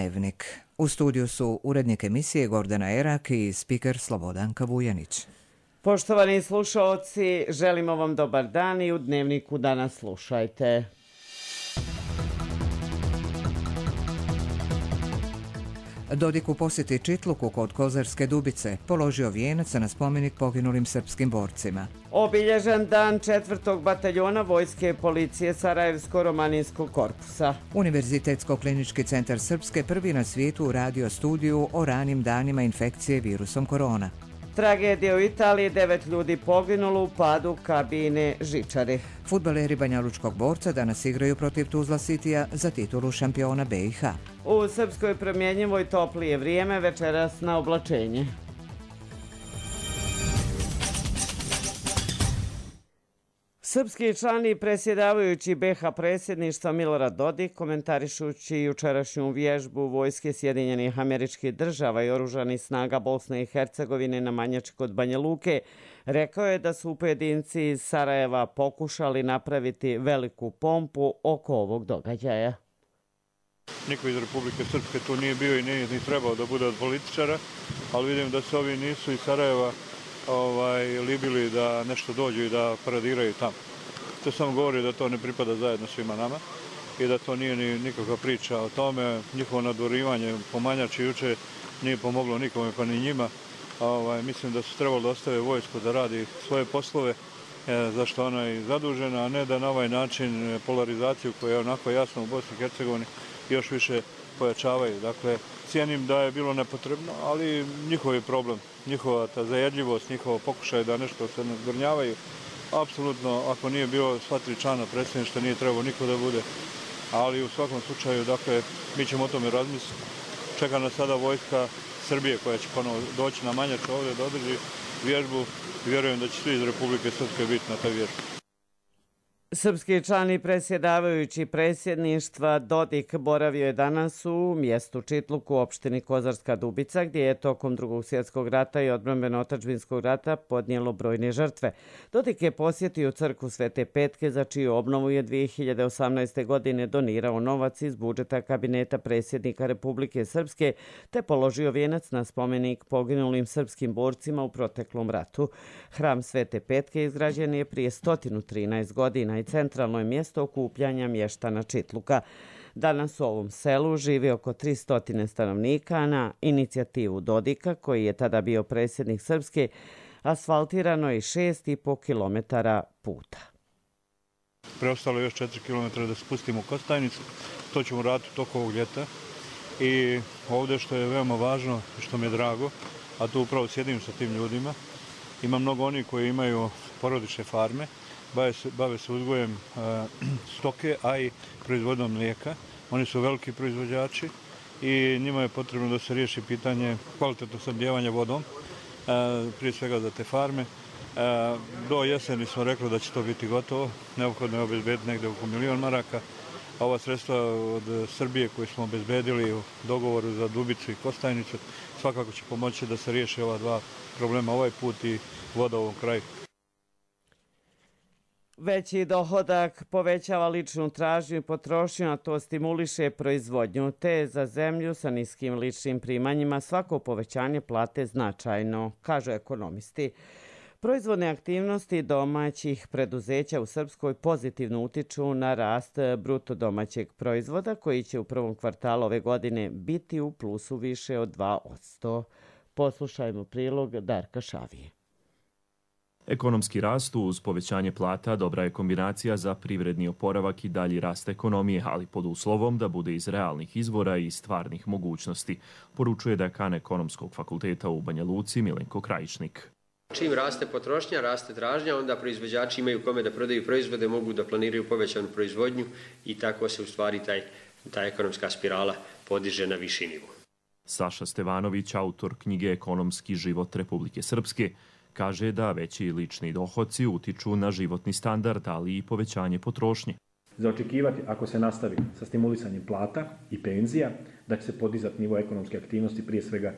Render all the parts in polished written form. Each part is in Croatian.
Dnevnik. U studiju su urednik emisije Gordana Erak i spiker Slobodanka Vujanić. Poštovani slušaoci, želimo vam dobar dan i u Dnevniku danas slušajte. Dodik u posjeti Čitluku kod Kozarske Dubice položio vijenac na spomenik poginulim srpskim borcima. Obilježen dan 4. bataljona Vojske policije Sarajevsko-Romaninskog korpusa. Univerzitetsko-klinički centar Srpske prvi na svijetu radio studiju o ranim danima infekcije virusom korona. Tragedija u Italiji, 9 ljudi poginulo u padu kabine žičari. Fudbaleri banjalučkog borca danas igraju protiv Tuzla Citya za titulu šampiona BiH. U Srpskoj promjenjivoj toplije vrijeme, večeras na oblačenje. Srpski član i predsjedavajući BiH predsjedništva Milorad Dodik, komentarišući jučerašnju vježbu vojske Sjedinjenih Američkih Država i oružanih snaga Bosne i Hercegovine na Manjači kod Banja Luke, rekao je da su pojedinci iz Sarajeva pokušali napraviti veliku pompu oko ovog događaja. Niko iz Republike Srpske tu nije bio i nije ni trebao da bude od političara, ali vidim da se ovi nisu iz Sarajeva libili da nešto dođu i da paradiraju tamo. To samo govori da to ne pripada zajedno svima nama i da to nije ni nikakva priča o tome. Njihovo nadvorivanje po Manjači juče nije pomoglo nikome pa ni njima. Mislim da su trebali da ostave vojsku da radi svoje poslove zašto ona je zadužena, a ne da na ovaj način polarizaciju koja je onako jasna u Bosni i Hercegovini još više pojačavaju. Dakle, cijenim da je bilo nepotrebno, ali njihov je problem, njihova ta zajedljivost, njihovo pokušaj da nešto se ne zgrnjavaju. Apsolutno, ako nije bilo sva tri člana predsjedništva, nije trebao niko da bude. Ali u svakom slučaju, dakle, mi ćemo o tome razmisliti. Čeka nas sada vojska Srbije koja će ponovo doći na Manjač ovdje da održi vježbu i vjerujem da će svi iz Republike Srpske biti na toj vježbi. Srpski član i predsjedavajući predsjedništva Dodik boravio je danas u mjestu Čitluk u opštini Kozarska Dubica, gdje je tokom Drugog svjetskog rata i odbrambeno-otadžbinskog rata podnijelo brojne žrtve. Dodik je posjetio crkvu Svete Petke, za čiju obnovu je 2018. godine donirao novac iz budžeta kabineta predsjednika Republike Srpske, te položio vijenac na spomenik poginulim srpskim borcima u proteklom ratu. Hram Svete Petke izgrađen je prije 113 godina i centralno je mjesto okupljanja mještana Čitluka. Danas u ovom selu živi oko 300 stanovnika. Na inicijativu Dodika, koji je tada bio predsjednik Srpske, asfaltirano je 6,5 km puta. Preostalo je još 4 km da spustimo u Kostajnicu. To ćemo raditi toko ovog ljeta. I ovdje što je veoma važno i što mi je drago, a tu upravo sjedim sa tim ljudima, ima mnogo onih koji imaju porodične farme, bave se uzgojem stoke, a i proizvodom mlijeka. Oni su veliki proizvođači i njima je potrebno da se riješi pitanje kvalitetnog snabdijevanja vodom, prije svega za te farme. Do jeseni smo rekli da će to biti gotovo, neophodno je obezbediti negdje oko 1 milion maraka. Ova sredstva od Srbije koje smo obezbedili u dogovoru za Dubicu i Kostajnicu svakako će pomoći da se riješe ova dva problema ovaj put i voda u ovom kraju. Veći dohodak povećava ličnu tražnju i potrošnju, a to stimuliše proizvodnju, te za zemlju sa niskim ličnim primanjima svako povećanje plate značajno, kažu ekonomisti. Proizvodne aktivnosti domaćih preduzeća u Srpskoj pozitivno utiču na rast bruto domaćeg proizvoda, koji će u prvom kvartalu ove godine biti u plusu više od 2%. Poslušajmo prilog Darka Šavije. Ekonomski rast uz povećanje plata dobra je kombinacija za privredni oporavak i dalji rast ekonomije, ali pod uslovom da bude iz realnih izvora i stvarnih mogućnosti, poručuje dekan Ekonomskog fakulteta u Banja Luci Milenko Krajišnik. Čim raste potrošnja, raste tražnja, onda proizvođači imaju kome da prodaju proizvode, mogu da planiraju povećanu proizvodnju i tako se u stvari ta ekonomska spirala podiže na viši nivo. Saša Stevanović, autor knjige Ekonomski život Republike Srpske, kaže da veći lični dohoci utiču na životni standard, ali i povećanje potrošnje. Za očekivati, ako se nastavi sa stimulisanjem plata i penzija, da će se podizati nivo ekonomske aktivnosti, prije svega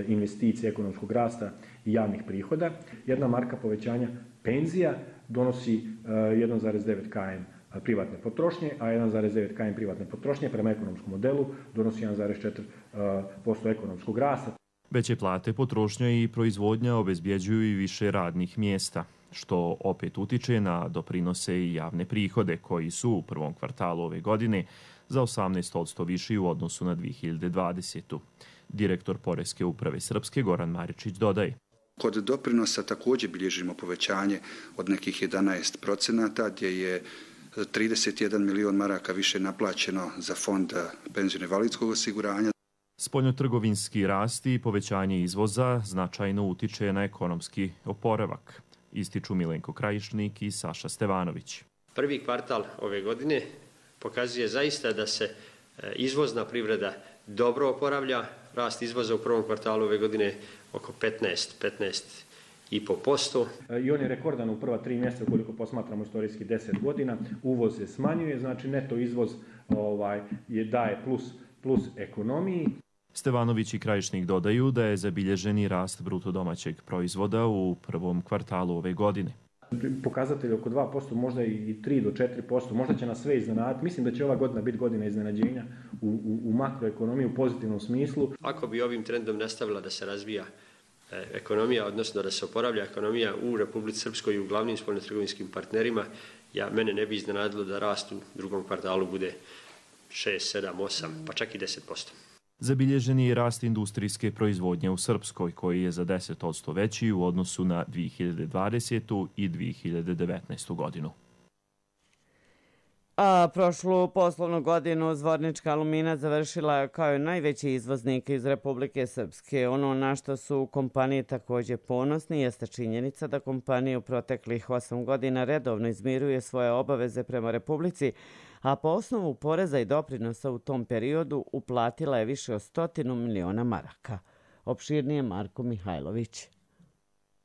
investicije, ekonomskog rasta i javnih prihoda. Jedna marka povećanja penzija donosi 1,9 km privatne potrošnje, a 1,9 km privatne potrošnje prema ekonomskom modelu donosi 1,4% ekonomskog rasta. Veće plate, potrošnja i proizvodnja obezbjeđuju i više radnih mjesta, što opet utiče na doprinose i javne prihode, koji su u prvom kvartalu ove godine za 18% viši u odnosu na 2020. Direktor Poreske uprave Srpske Goran Maričić dodaje. Kod doprinosa također bilježimo povećanje od nekih 11%, gdje je 31 milion maraka više naplaćeno za fond penzijsko-invalidskog osiguranja. Spoljnotrgovinski rast i povećanje izvoza značajno utiče na ekonomski oporavak, ističu Milenko Krajišnik i Saša Stevanović. Prvi kvartal ove godine pokazuje zaista da se izvozna privreda dobro oporavlja. Rast izvoza u prvom kvartalu ove godine oko 15,5%. I on je rekordan u prva 3 mjeseca ukoliko posmatramo istorijski 10 godina. Uvoz se smanjuje, znači neto izvoz daje plus ekonomiji. Stevanović i Krajišnik dodaju da je zabilježeni rast bruto domaćeg proizvoda u prvom kvartalu ove godine. Pokazatelj oko 2%, možda i 3 do 4%, možda će nas sve iznenaditi. Mislim da će ova godina biti godina iznenađenja u makroekonomiji u pozitivnom smislu. Ako bi ovim trendom nastavila da se razvija ekonomija, odnosno da se oporavlja ekonomija u Republici Srpskoj i u glavnim spoljnotrgovinskim partnerima, mene ne bi iznenadilo da rast u drugom kvartalu bude 6, 7, 8, pa čak i 10%. Zabilježen je rast industrijske proizvodnje u Srpskoj, koji je za 10% veći u odnosu na 2020. i 2019. godinu. A prošlu poslovnu godinu Zvornička Alumina završila je kao najveći izvoznik iz Republike Srpske. Ono na što su kompanije također ponosni jeste činjenica da kompanija u proteklih 8 godina redovno izmiruje svoje obaveze prema Republici, a po osnovu poreza i doprinosa u tom periodu uplatila je više od 100 miliona maraka. Opširnije Marko Mihajlović.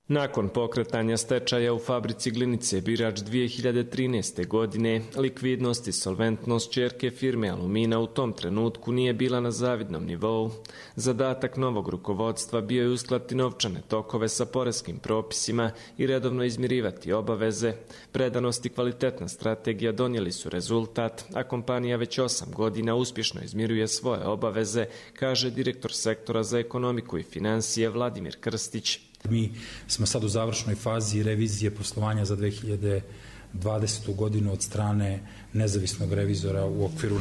Nakon pokretanja stečaja u fabrici Glinice Birač 2013. godine, likvidnost i solventnost ćerke firme Alumina u tom trenutku nije bila na zavidnom nivou. Zadatak novog rukovodstva bio je uskladiti novčane tokove sa poreskim propisima i redovno izmirivati obaveze. Predanost i kvalitetna strategija donijeli su rezultat, a kompanija već 8 godina uspješno izmiruje svoje obaveze, kaže direktor sektora za ekonomiku i financije Vladimir Krstić. Mi smo sad u završnoj fazi revizije poslovanja za 2020. godinu od strane nezavisnog revizora u okviru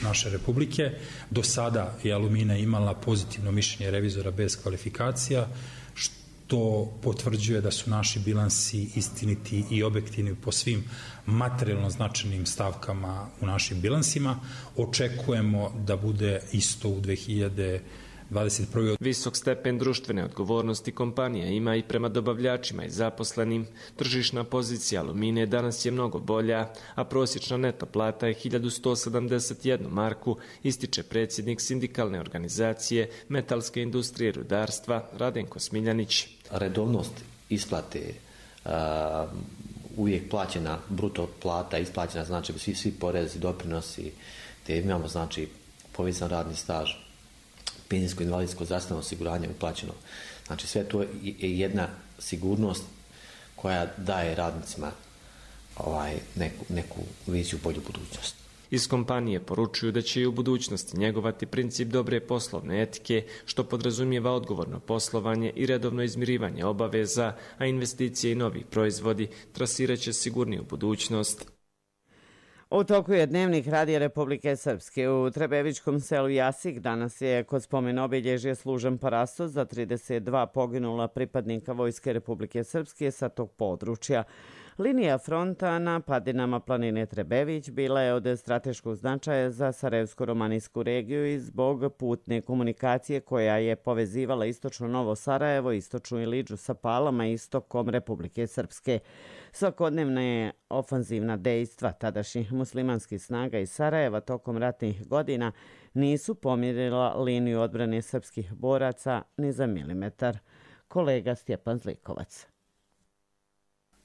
naše republike. Do sada je Alumina imala pozitivno mišljenje revizora bez kvalifikacija, što potvrđuje da su naši bilansi istiniti i objektivni po svim materijalno značajnim stavkama u našim bilansima. Očekujemo da bude isto u 2021. Visok stepen društvene odgovornosti kompanija ima i prema dobavljačima i zaposlenim. Tržišna pozicija Alumine danas je mnogo bolja, a prosječna neto plata je 1171 marku, ističe predsjednik sindikalne organizacije metalske industrije i rudarstva Radenko Smiljanić. Redovnost isplate, uvijek plaćena bruto plata, isplaćena znači svi porezi, doprinosi, te imamo znači povezan radni staž, penzijsko invalidsko zdravstveno osiguranje uplaćeno. Znači sve to je jedna sigurnost koja daje radnicima neku viziju bolju budućnost. Iz kompanije poručuju da će i u budućnosti njegovati princip dobre poslovne etike, što podrazumijeva odgovorno poslovanje i redovno izmirivanje obaveza, a investicije i novi proizvodi trasiraće sigurniju budućnost. U toku je dnevnik Radija Republike Srpske. U Trebevičkom selu Jasik danas je kod spomen obilježje služen parastos za 32 poginula pripadnika Vojske Republike Srpske sa tog područja. Linija fronta na padinama planine Trebević bila je od strateškog značaja za Sarajevsko-romanijsku regiju i zbog putne komunikacije koja je povezivala istočno Novo Sarajevo, istočnu Ilidžu sa Palama i istokom Republike Srpske. Svakodnevna je ofanzivna dejstva tadašnjih muslimanskih snaga iz Sarajeva tokom ratnih godina nisu pomjerila liniju odbrane srpskih boraca ni za milimetar. Kolega Stjepan Zlikovac.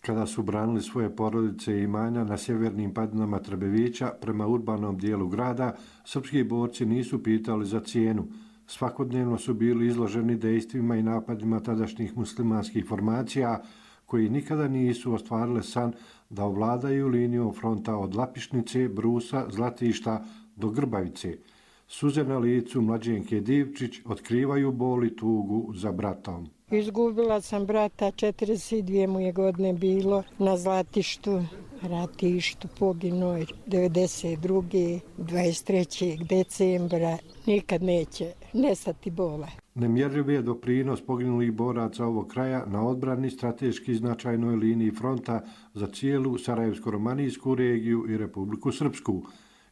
Kada su branili svoje porodice i imanja na sjevernim padinama Trebevića prema urbanom dijelu grada, srpski borci nisu pitali za cijenu. Svakodnevno su bili izloženi dejstvima i napadima tadašnjih muslimanskih formacija koji nikada nisu ostvarile san da ovladaju linijom fronta od Lapišnice, Brusa, Zlatišta do Grbavice. Suze na licu mlađenke Divčić otkrivaju bol i tugu za bratom. Izgubila sam brata, 42 mu je godine bilo na Zlatištu, ratištu, poginuo 92. 23. decembra. Nikad neće nestati bola. Nemjerljiv je doprinos poginulih boraca ovog kraja na odbrani strateški značajnoj liniji fronta za cijelu Sarajevsko-romanijsku regiju i Republiku Srpsku.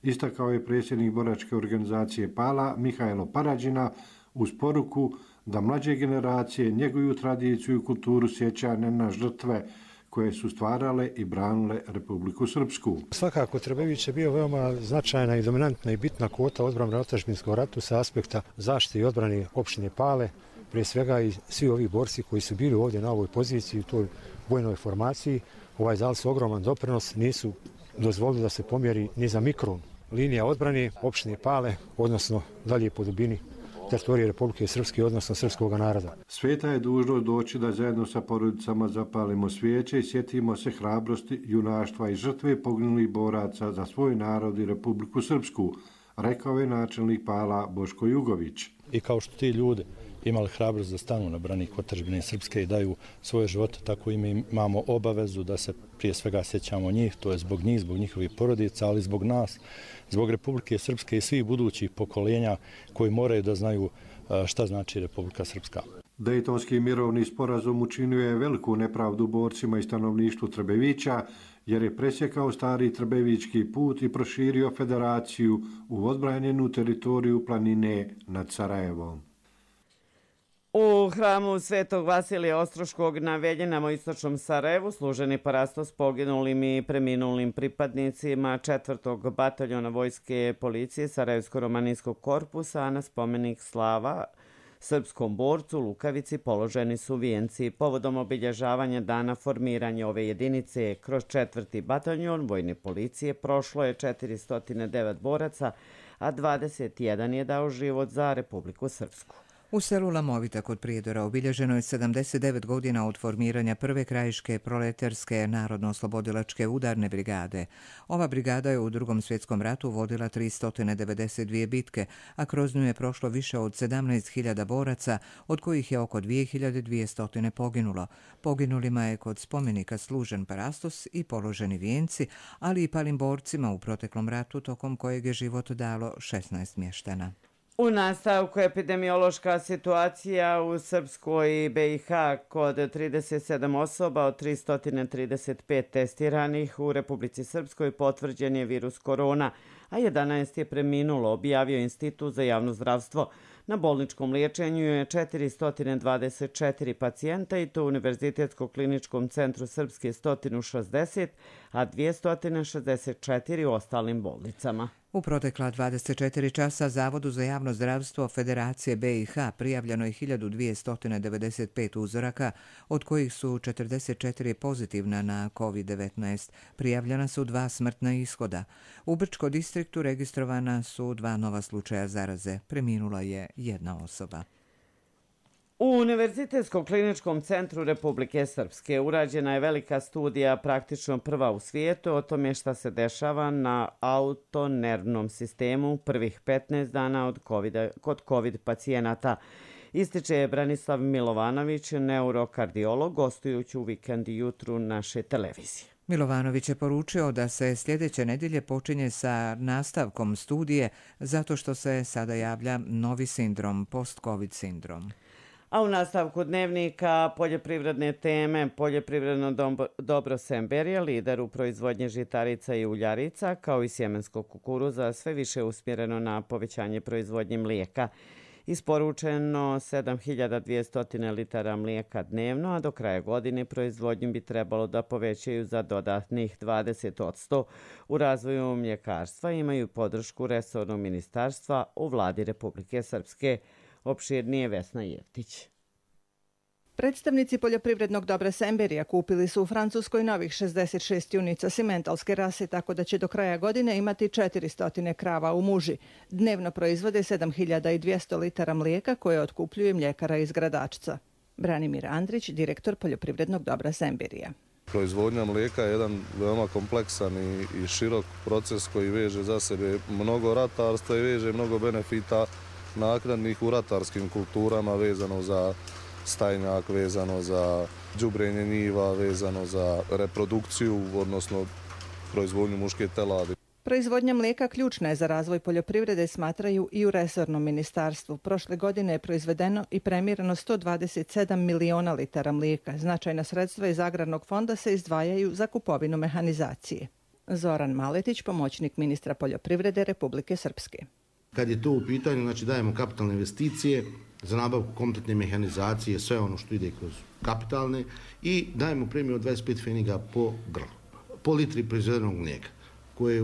Istakao je predsjednik boračke organizacije PALA Mihajlo Parađina uz poruku da mlađe generacije njeguju tradiciju i kulturu sjećanja na žrtve koje su stvarale i branile Republiku Srpsku. Svakako Trbević je bio veoma značajna i dominantna i bitna kvota odbrane na otadžbinskom ratu sa aspekta zaštite i odbrane opštine Pale, prije svega i svi ovi borci koji su bili ovdje na ovoj poziciji u toj vojnoj formaciji. Dali su ogroman doprinos, nisu dozvolili da se pomjeri ni za mikron. Linija odbrane opštine Pale, odnosno dalje po dubini teritorije Republike Srpske, odnosno srpskog naroda. Sveta je dužnost doći da zajedno sa porodicama zapalimo svijeće i sjetimo se hrabrosti, junaštva i žrtve poginulih boraca za svoj narod i Republiku Srpsku, rekao je načelnik Pala Boško Jugović. I kao što ti ljudi imali hrabrost da stanu na branik otadžbine Srpske i daju svoje živote, tako i mi imamo obavezu da se prije svega sjećamo njih, to je zbog njih, zbog njihovih porodica, ali zbog nas, zbog Republike Srpske i svih budućih pokoljenja koji moraju da znaju šta znači Republika Srpska. Dejtonski mirovni sporazum učinio je veliku nepravdu borcima i stanovništvu Trbevića, jer je presjekao stari trbevički put i proširio federaciju u odbranjenu teritoriju planine nad Sarajevom. U hramu Svetog Vasilija Ostroškog na Veljinama u istočnom Sarajevu služeni parastos poginulim i preminulim pripadnicima 4. bataljona vojske policije Sarajevsko-romanijskog korpusa, a na spomenik slava srpskom borcu Lukavici položeni su vijenci. Povodom obilježavanja dana formiranja ove jedinice kroz 4. bataljon vojne policije prošlo je 409 boraca, a 21 je dao život za Republiku Srpsku. U selu Lamovita kod Prijedora obilježeno je 79 godina od formiranja prve krajiške proletarske narodno-oslobodilačke udarne brigade. Ova brigada je u Drugom svjetskom ratu vodila 392 bitke, a kroz nju je prošlo više od 17.000 boraca, od kojih je oko 2200 poginulo. Poginulima je kod spomenika služen parastos i položeni vijenci, ali i palim borcima u proteklom ratu tokom kojeg je život dalo 16 mještana. U nastavku epidemiološka situacija u Srpskoj i BiH kod 37 osoba od 335 testiranih u Republici Srpskoj potvrđen je virus korona, a 11 je preminulo, objavio Institut za javno zdravstvo. Na bolničkom liječenju je 424 pacijenta i to u Univerzitetsko-kliničkom centru Srpske 160, a 264 u ostalim bolnicama. U protekla 24 časa Zavodu za javno zdravstvo Federacije BiH prijavljeno je 1295 uzoraka, od kojih su 44 pozitivna na COVID-19. Prijavljena su 2 smrtna ishoda. U Brčko distriktu registrovana su 2 nova slučaja zaraze. Preminula je 1 osoba. U Univerzitetskom kliničkom centru Republike Srpske urađena je velika studija, praktično prva u svijetu, o tome šta se dešava na autonervnom sistemu prvih 15 dana kod COVID pacijenata. Ističe Branislav Milovanović, neurokardiolog, gostujući u Vikend jutru naše televizije. Milovanović je poručio da se sljedeće nedjelje počinje sa nastavkom studije zato što se sada javlja novi sindrom, post-COVID sindrom. A u nastavku dnevnika poljoprivredne teme, poljoprivredno dobro Semberija, lider u proizvodnji žitarica i uljarica, kao i sjemenskog kukuruza, sve više usmjereno na povećanje proizvodnje mlijeka. Isporučeno 7200 litara mlijeka dnevno, a do kraja godine proizvodnju bi trebalo da povećaju za dodatnih 20%. U razvoju mljekarstva imaju podršku resornog ministarstva u vladi Republike Srpske. Opširnije Vesna Jeftić. Predstavnici poljoprivrednog dobra Semberija kupili su u Francuskoj novih 66 junica simentalske rase, tako da će do kraja godine imati 400 krava u muži. Dnevno proizvode 7200 litara mlijeka koje otkupljuje mljekara iz Gradačca. Branimir Andrić, direktor poljoprivrednog dobra Semberija. Proizvodnja mlijeka je jedan veoma kompleksan i širok proces koji veže za sebe mnogo ratarstva i veže mnogo benefita naknadnih u ratarskim kulturama, vezano za stajnjak, vezano za đubrenje njiva, vezano za reprodukciju, odnosno proizvodnju muške teladi. Proizvodnja mlijeka ključna je za razvoj poljoprivrede, smatraju i u resornom ministarstvu. Prošle godine je proizvedeno i premirano 127 miliona litara mlijeka. Značajna sredstva iz agrarnog fonda se izdvajaju za kupovinu mehanizacije. Zoran Maletić, pomoćnik ministra poljoprivrede Republike Srpske. Kad je to u pitanju, znači dajemo kapitalne investicije za nabavku kompletne mehanizacije, sve ono što ide kroz kapitalne i dajemo premiju od 25 pfeniga po grlu, po litri proizvedenog mlijeka, koje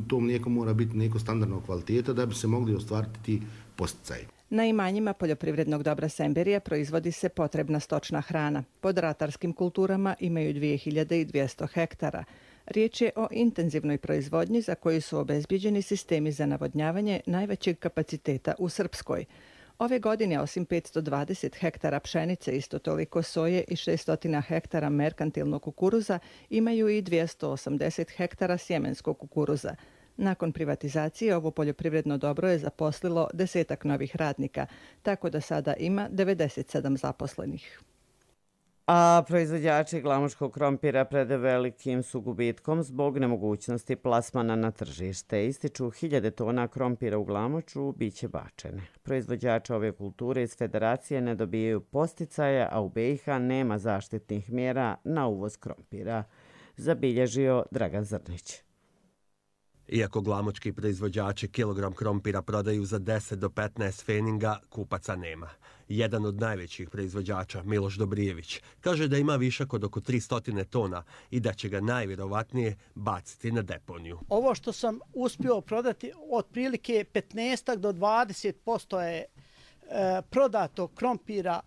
to mlijeko mora biti mlijeko standardnog kvaliteta da bi se mogli ostvariti ti posticaji. Na imanjima poljoprivrednog dobra Semberija proizvodi se potrebna stočna hrana. Pod ratarskim kulturama imaju 2200 hektara. Riječ je o intenzivnoj proizvodnji za koju su obezbjeđeni sistemi za navodnjavanje najvećeg kapaciteta u Srpskoj. Ove godine, osim 520 hektara pšenice, isto toliko soje i 600 hektara merkantilnog kukuruza, imaju i 280 hektara sjemenskog kukuruza. Nakon privatizacije ovo poljoprivredno dobro je zaposlilo 10 novih radnika, tako da sada ima 97 zaposlenih. A proizvođači glamočkog krompira pred velikim su gubitkom zbog nemogućnosti plasmana na tržište. Ističu 1000 tona krompira u Glamoču biće bačene. Proizvođači ove kulture iz federacije ne dobijaju posticaja, a u BiH nema zaštitnih mjera na uvoz krompira, zabilježio Dragan Zrnić. Iako glamočki proizvođači kilogram krompira prodaju za 10 do 15 pfeninga, kupaca nema. Jedan od najvećih proizvođača, Miloš Dobrijević, kaže da ima višak od oko 300 tona i da će ga najvjerovatnije baciti na deponiju. Ovo što sam uspio prodati, otprilike 15 do 20% je prodato krompira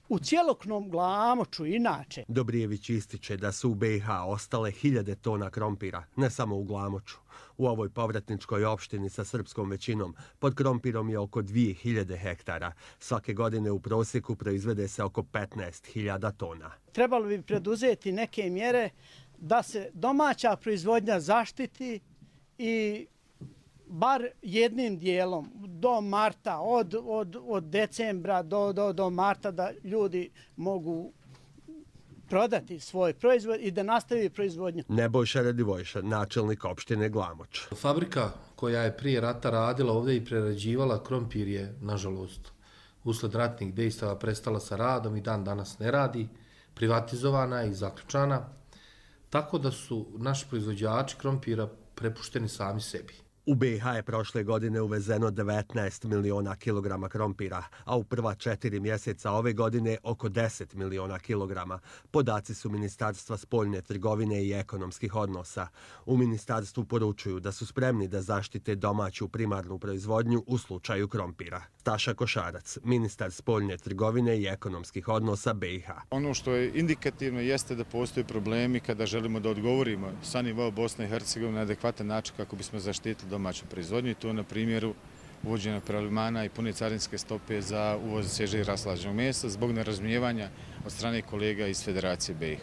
u cjelokupnom Glamoču inače. Dobrijević ističe da su u BiH ostale 1000 tona krompira, ne samo u Glamoču. U ovoj povratničkoj opštini sa srpskom većinom pod krompirom je oko 2000 hektara. Svake godine u prosjeku proizvede se oko 15.000 tona. Trebalo bi preduzeti neke mjere da se domaća proizvodnja zaštiti i bar jednim dijelom do marta, od decembra do marta da ljudi mogu prodati svoj proizvod i da nastavi proizvodnju. Nebojša Radivojša, načelnik opštine Glamoč. Fabrika koja je prije rata radila ovdje i prerađivala krompir je, nažalost, usled ratnih dejstava prestala sa radom i dan danas ne radi, privatizovana i zaključana, tako da su naši proizvođači krompira prepušteni sami sebi. U BiH je prošle godine uvezeno 19 miliona kilograma krompira, a u prva 4 mjeseca ove godine oko 10 miliona kilograma. Podaci su Ministarstva spoljne trgovine i ekonomskih odnosa. U ministarstvu poručuju da su spremni da zaštite domaću primarnu proizvodnju u slučaju krompira. Staša Košarac, ministar spoljne trgovine i ekonomskih odnosa BiH. Ono što je indikativno jeste da postoje problemi kada želimo da odgovorimo sa nivoa Bosne i Hercegovine na adekvatan način kako bismo zaštitili domaću proizvodnju. To je na primjeru uvođenja prelivmana i pune carinske stope za uvoz svježeg raslađenog mesa zbog nerazumijevanja od strane kolega iz Federacije BiH.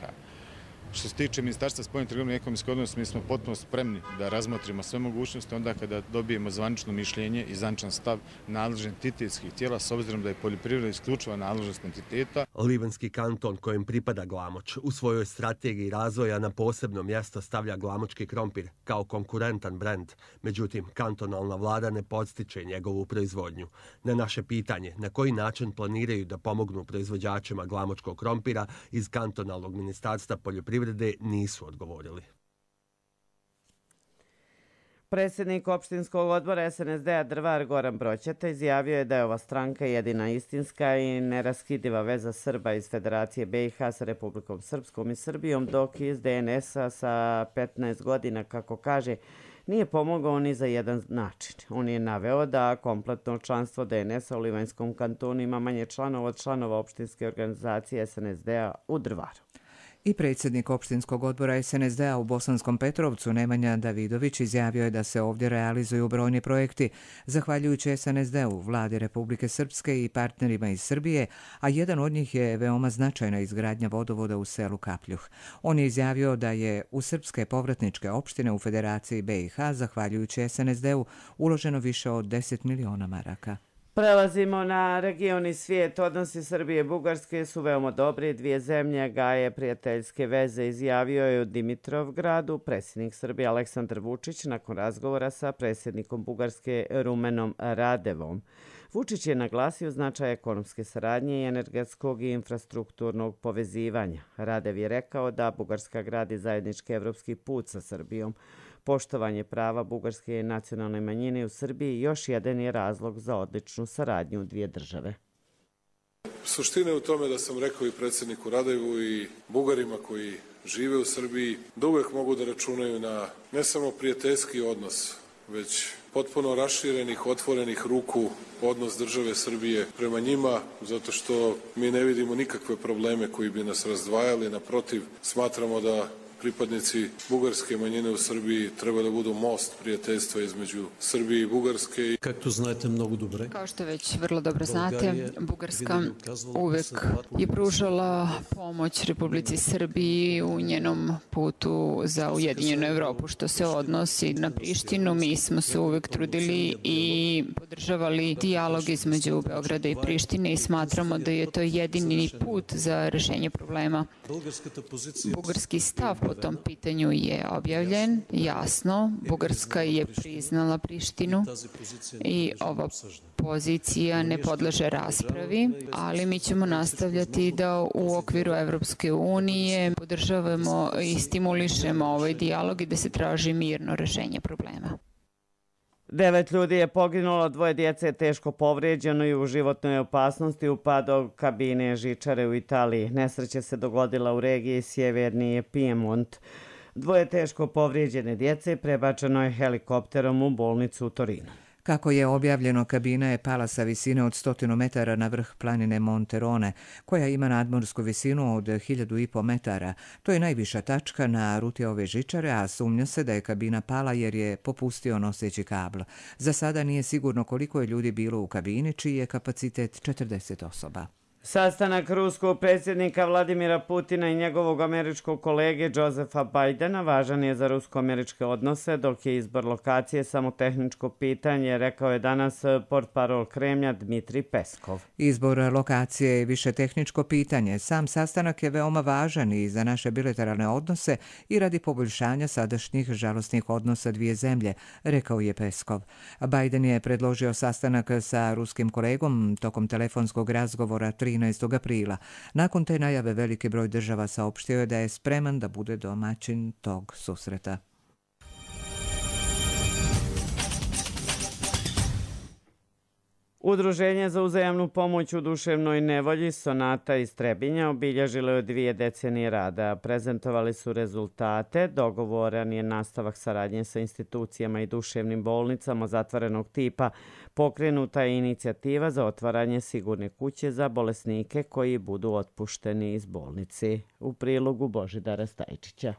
Što se tiče Ministarstva spoljne trgovine i ekonomskih odnosa, mi smo potpuno spremni da razmotrimo sve mogućnosti onda kada dobijemo zvanično mišljenje i zvaničan stav nadležnih entitetskih tijela s obzirom da je poljoprivreda isključiva nadležnost entiteta. Livanjski kanton kojem pripada Glamoč u svojoj strategiji razvoja na posebno mjesto stavlja glamočki krompir kao konkurentan brend. Međutim, kantonalna vlada ne podstiče njegovu proizvodnju. Na naše pitanje na koji način planiraju da pomognu proizvođačima glamočkog krompira iz kantonalnog ministarstva poljoprivrede nisu odgovorili. Predsjednik opštinskog odbora SNSD-a Drvar Goran Broćeta izjavio je da je ova stranka jedina istinska i neraskidiva veza Srba iz Federacije BiH sa Republikom Srpskom i Srbijom, dok iz DNS-a sa 15 godina, kako kaže, nije pomogao ni za jedan način. On je naveo da kompletno članstvo DNS-a u Livanjskom kantonu ima manje članova od članova opštinske organizacije SNSD-a u Drvaru. I predsjednik opštinskog odbora SNSD-a u Bosanskom Petrovcu Nemanja Davidović izjavio je da se ovdje realizuju brojni projekti zahvaljujući SNSD-u, vladi Republike Srpske i partnerima iz Srbije, a jedan od njih je veoma značajna izgradnja vodovoda u selu Kapljuh. On je izjavio da je u srpske povratničke opštine u Federaciji BiH zahvaljujući SNSD-u uloženo više od 10 miliona maraka. Prelazimo na region i svijet. Odnosi Srbije i Bugarske su veoma dobri. Dvije zemlje gaje prijateljske veze, izjavio je u Dimitrovgradu predsjednik Srbije Aleksandar Vučić nakon razgovora sa predsjednikom Bugarske Rumenom Radevom. Vučić je naglasio značaj ekonomske saradnje i energetskog i infrastrukturnog povezivanja. Radev je rekao da Bugarska gradi zajednički evropski put sa Srbijom. Poštovanje prava bugarske nacionalne manjine u Srbiji još jedan je razlog za odličnu saradnju dvije države. Suština je u tome da sam rekao i predsjedniku Radevu i Bugarima koji žive u Srbiji da uvek mogu da računaju na ne samo prijateljski odnos, već potpuno raširenih, otvorenih ruku odnos države Srbije prema njima, zato što mi ne vidimo nikakve probleme koji bi nas razdvajali. Naprotiv, smatramo da pripadnici bugarske manjine u Srbiji treba da budu most prijateljstva između Srbije i Bugarske. Kako znate mnogo dobro. Kao što već vrlo dobro znate, Bugarska uvek je pružala pomoć Republici Srbiji u njenom putu za Ujedinjenu Evropu. Što se odnosi na Prištinu, mi smo se uvek trudili i podržavali dijalog između Beograda i Prištine i smatramo da je to jedini put za rešenje problema. Bugarski stav po tom pitanju je objavljen, jasno. Bugarska je priznala Prištinu i ova pozicija ne podleže raspravi, ali mi ćemo nastavljati da u okviru Evropske unije podržavamo i stimulišemo ovaj dijalog i da se traži mirno rešenje problema. 9 ljudi je poginulo, 2 djece je teško povrijeđeno i u životnoj opasnosti u padu kabine žičare u Italiji. Nesreća se dogodila u regiji Sjeverni Piemont. 2 teško povrijeđene djece prebačeno je helikopterom u bolnicu u Torinu. Kako je objavljeno, kabina je pala sa visine od 100 metara na vrh planine Monterone, koja ima nadmorsku visinu od 1500 metara. To je najviša tačka na ruti ove žičare, a sumnja se da je kabina pala jer je popustio noseći kabl. Za sada nije sigurno koliko je ljudi bilo u kabini, čiji je kapacitet 40 osoba. Sastanak ruskog predsjednika Vladimira Putina i njegovog američkog kolege Josefa Bidena važan je za rusko-američke odnose, dok je izbor lokacije samo tehničko pitanje, rekao je danas portparol Kremlja Dmitrij Peskov. Izbor lokacije je više tehničko pitanje. Sam sastanak je veoma važan i za naše bilateralne odnose i radi poboljšanja sadašnjih žalosnih odnosa dvije zemlje, rekao je Peskov. Biden je predložio sastanak sa ruskim kolegom tokom telefonskog razgovora 13. aprila. Nakon te najave veliki broj država saopštio je da je spreman da bude domaćin tog susreta. Udruženje za uzajamnu pomoć u duševnoj nevolji Sonata iz Trebinja obilježilo je 2 decenije rada. Prezentovali su rezultate, dogovoran je nastavak saradnje sa institucijama i duševnim bolnicama zatvorenog tipa. Pokrenuta je inicijativa za otvaranje sigurne kuće za bolesnike koji budu otpušteni iz bolnici. U prilogu Božidara Stajčića.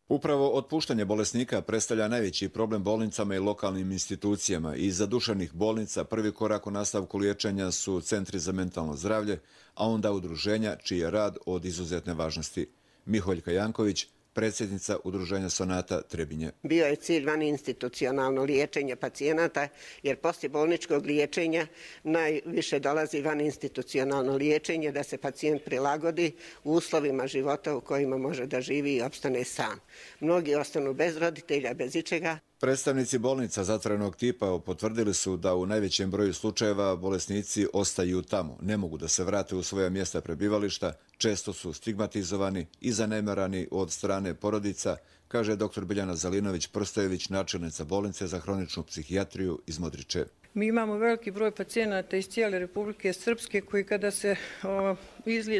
Upravo otpuštanje bolesnika predstavlja najveći problem bolnicama i lokalnim institucijama i za duševnih bolnica prvi korak u nastavku liječenja su centri za mentalno zdravlje, a onda udruženja čiji je rad od izuzetne važnosti. Miholjka Janković, predsjednica udruženja Sonata Trebinje. Bio je cilj vaninstitucionalno liječenje pacijenata, jer poslije bolničkog liječenja najviše dolazi vaninstitucionalno liječenje da se pacijent prilagodi u uslovima života u kojima može da živi i opstane sam. Mnogi ostanu bez roditelja, bez ičega. Predstavnici bolnica zatvorenog tipa potvrdili su da u najvećem broju slučajeva bolesnici ostaju tamo, ne mogu da se vrate u svoja mjesta prebivališta, često su stigmatizovani i zanemarani od strane porodica, kaže dr. Biljana Zalinović-Prstojević, načelnica bolnice za hroničnu psihijatriju iz Modriče. Mi imamo veliki broj pacijenata iz cijele Republike Srpske koji kada se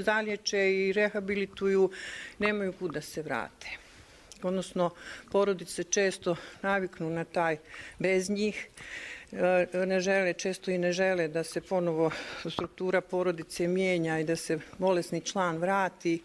zaliječe i rehabilituju nemaju kud da se vrate. Odnosno, porodice često naviknu na taj bez njih, često i ne žele da se ponovo struktura porodice mijenja i da se bolesni član vrati.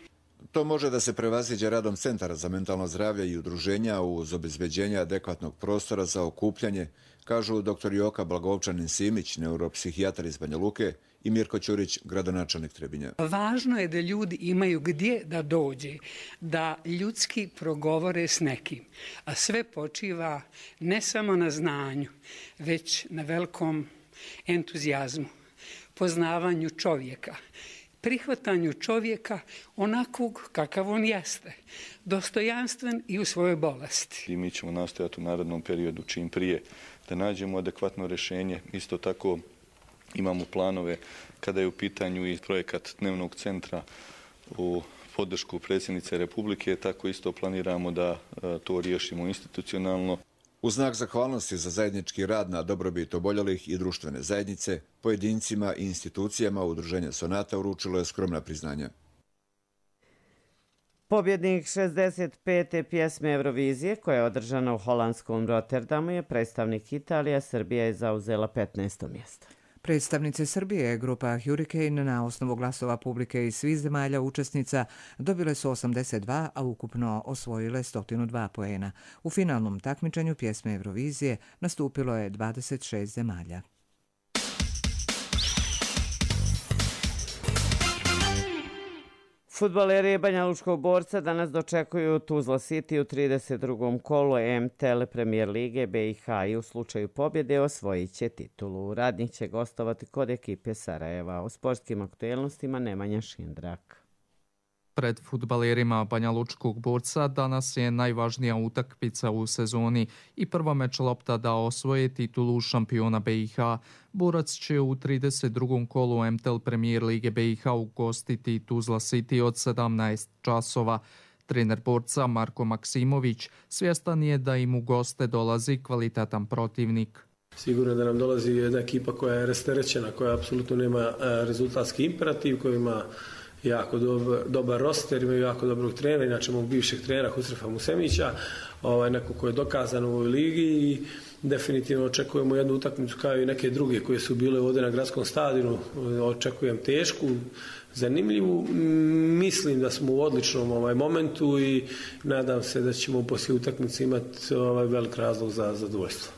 To može da se prevaziđe radom centara za mentalno zdravlje i udruženja uz obezbeđenje adekvatnog prostora za okupljanje, kažu dr. Joka Blagovčanin-Simić, neuropsihijatar iz Banja Luke, i Mirko Ćurić, gradonačelnik Trebinja. Važno je da ljudi imaju gdje da dođe, da ljudski progovore s nekim, a sve počiva ne samo na znanju, već na velikom entuzijazmu, poznavanju čovjeka, prihvatanju čovjeka onakvog kakav on jeste, dostojanstven i u svojoj bolesti. I mi ćemo nastojati u narednom periodu čim prije da nađemo adekvatno rješenje. Isto tako imamo planove kada je u pitanju i projekat dnevnog centra u podršku predsjednice Republike, tako isto planiramo da to riješimo institucionalno. U znak zahvalnosti za zajednički rad na dobrobit oboljelih i društvene zajednice, pojedincima i institucijama Udruženja Sonata uručilo je skromna priznanja. Pobjednik 65. pjesme Eurovizije, koja je održana u holandskom Rotterdamu, je predstavnik Italije. Srbija je zauzela 15. mjesto. Predstavnice Srbije, grupa Hurricane, na osnovu glasova publike iz svih zemalja učesnica dobile su 82, a ukupno osvojile 102 poena. U finalnom takmičenju pjesme Eurovizije nastupilo je 26 zemalja. Fudbaleri Banja Lučkog Borca danas dočekuju Tuzla City u 32. kolu MTL Premier Lige BiH i u slučaju pobjede osvojit će titulu. Radnik će gostovati kod ekipe Sarajeva. O sportskim aktuelnostima Nemanja Šindrak. Pred fudbalerima Banja Lučkog Borca danas je najvažnija utakmica u sezoni i prva meč lopta da osvoje titulu šampiona BiH. Borac će u 32. kolu MTL Premier Lige BiH ugostiti Tuzla City od 17 časova. Trener Borca Marko Maksimović svjestan je da im u goste dolazi kvalitetan protivnik. Sigurno da nam dolazi jedna ekipa koja je rasterećena, koja apsolutno nema rezultatski imperativ, koja ima jako dobar roster, imaju jako dobrog trenera, inače mog bivšeg trenera Husrefa Musemića, neko ko je dokazan u ovoj ligi i definitivno očekujemo jednu utakmicu kao i neke druge koje su bile ovdje na gradskom stadionu. Očekujem tešku, zanimljivu. Mislim da smo u odličnom momentu i nadam se da ćemo poslije utakmice imati velik razlog za zadovoljstvo.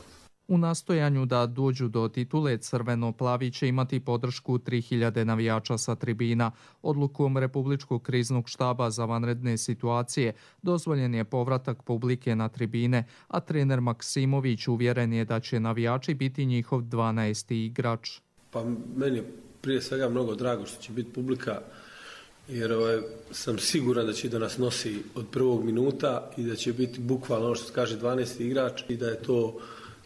U nastojanju da dođu do titule, crveno-plavi će imati podršku 3000 navijača sa tribina. Odlukom Republičkog kriznog štaba za vanredne situacije dozvoljen je povratak publike na tribine, a trener Maksimović uvjeren je da će navijači biti njihov 12. igrač. Pa meni je prije svega mnogo drago što će biti publika, jer sam siguran da će da nas nosi od prvog minuta i da će biti bukvalno ono što se kaže 12. igrač i da je to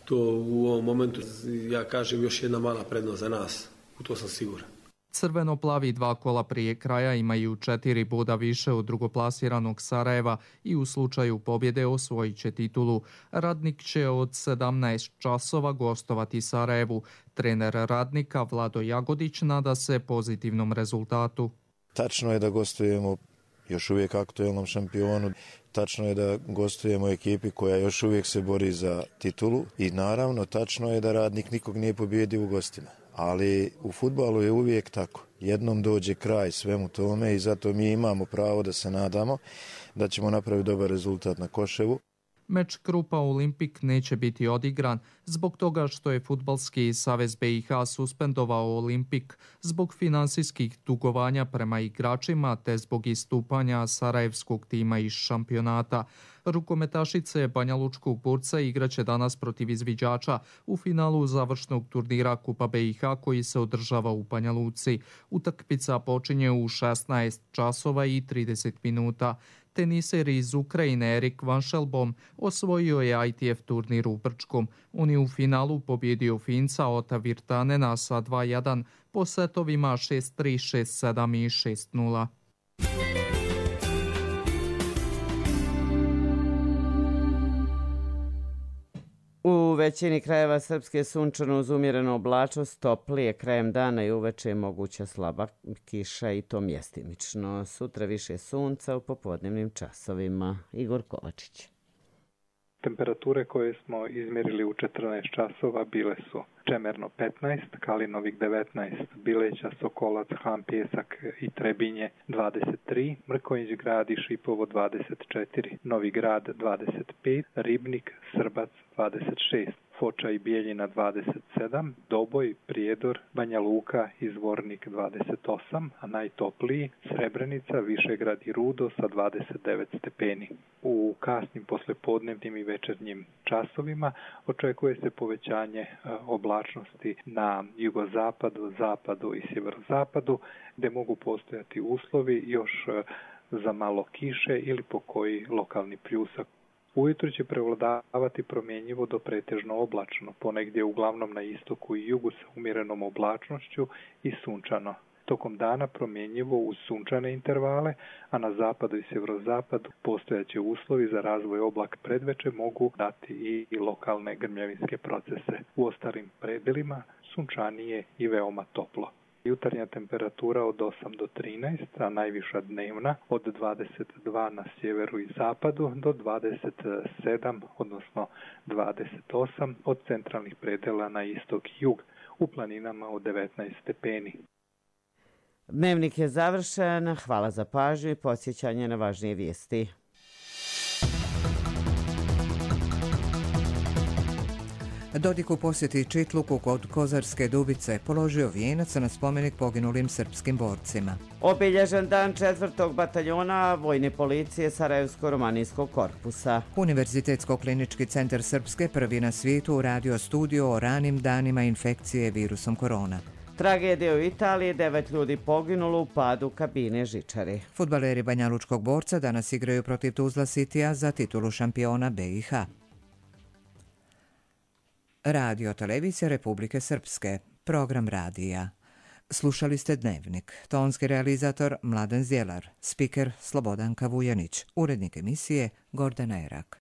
u ovom momentu, ja kažem, još jedna mala prednost za nas. U to sam siguran. Crveno-plavi 2 kola prije kraja imaju 4 boda više od drugoplasiranog Sarajeva i u slučaju pobjede osvojit će titulu. Radnik će od 17 časova gostovati Sarajevu. Trener Radnika Vlado Jagodić nada se pozitivnom rezultatu. Tačno je da gostujemo još uvijek aktuelnom šampionu. Tačno je da gostujemo ekipi koja još uvijek se bori za titulu i naravno tačno je da Radnik nikog nije pobijedio u gostima. Ali u fudbalu je uvijek tako. Jednom dođe kraj svemu tome i zato mi imamo pravo da se nadamo da ćemo napraviti dobar rezultat na Koševu. Meč Krupa Olimpik neće biti odigran zbog toga što je Fudbalski savez BiH suspendovao Olimpik zbog finansijskih dugovanja prema igračima te zbog istupanja sarajevskog tima iz šampionata. Rukometašice Banja Lučkog Borca igraće danas protiv izviđača u finalu završnog turnira Kupa BiH koji se održava u Banja Luci. Utakmica počinje u 16 časova i 30 minuta. Teniser iz Ukrajine Erik Vanšelbom osvojio je ITF turnir u Brčkom. On je u finalu pobjedio Finca Ota Virtanena sa 2-1 po setovima 6-3, 6-7 i 6-0. U većini krajeva Srpske sunčano uz umjerenu oblačnost, toplije krajem dana i uveče je moguća slaba kiša i to mjestimično. Sutra više sunca u popodnevnim časovima. Igor Kovačić. Temperature koje smo izmjerili u 14 časova bile su Čemerno 15, Kalinovik 19, Bileća, Sokolac, Han, Pjesak i Trebinje 23, Mrkonjić Grad i Šipovo 24, Novi Grad 25, Ribnik, Srbac 26, Foča i Bijeljina 27, Doboj, Prijedor, Banja Luka i Zvornik 28, a najtopliji Srebrenica, Višegrad i Rudo sa 29 stepeni. U kasnim poslepodnevnim i večernjim časovima očekuje se povećanje oblačnosti na jugozapadu, zapadu i sjeverozapadu, gdje mogu postojati uslovi još za malo kiše ili pokoji lokalni pljusak. Ujutro će prevladavati promjenjivo do pretežno oblačno, ponegdje uglavnom na istoku i jugu sa umjerenom oblačnošću i sunčano. Tokom dana promjenjivo uz sunčane intervale, a na zapadu i sjeverozapadu postojaće uslovi za razvoj oblaka predveče mogu dati i lokalne grmljavinske procese. U ostalim predelima sunčanije i veoma toplo. Jutarnja temperatura od 8 do 13, a najviša dnevna od 22 na sjeveru i zapadu do 27, odnosno 28 od centralnih predela na istok i jug, u planinama od 19 stepeni. Dnevnik je završen. Hvala za pažnju i podsjećanje na važnije vijesti. Dodik u posjeti Čitluku kod Kozarske Dubice položio vijenac na spomenik poginulim srpskim borcima. Obilježen dan 4. bataljona Vojne policije Sarajevsko-romanijskog korpusa. Univerzitetsko-klinički centar Srpske prvi na svijetu uradio studiju o ranim danima infekcije virusom korona. Tragedija u Italiji, 9 ljudi poginulo u padu kabine žičare. Fudbaleri Banjalučkog Borca danas igraju protiv Tuzla Citya za titulu šampiona BiH. Radio Televizija Republike Srpske, program radija. Slušali ste Dnevnik, tonski realizator Mladen Zjelar, spiker Slobodanka Vujanić, urednik emisije Gordana Erak.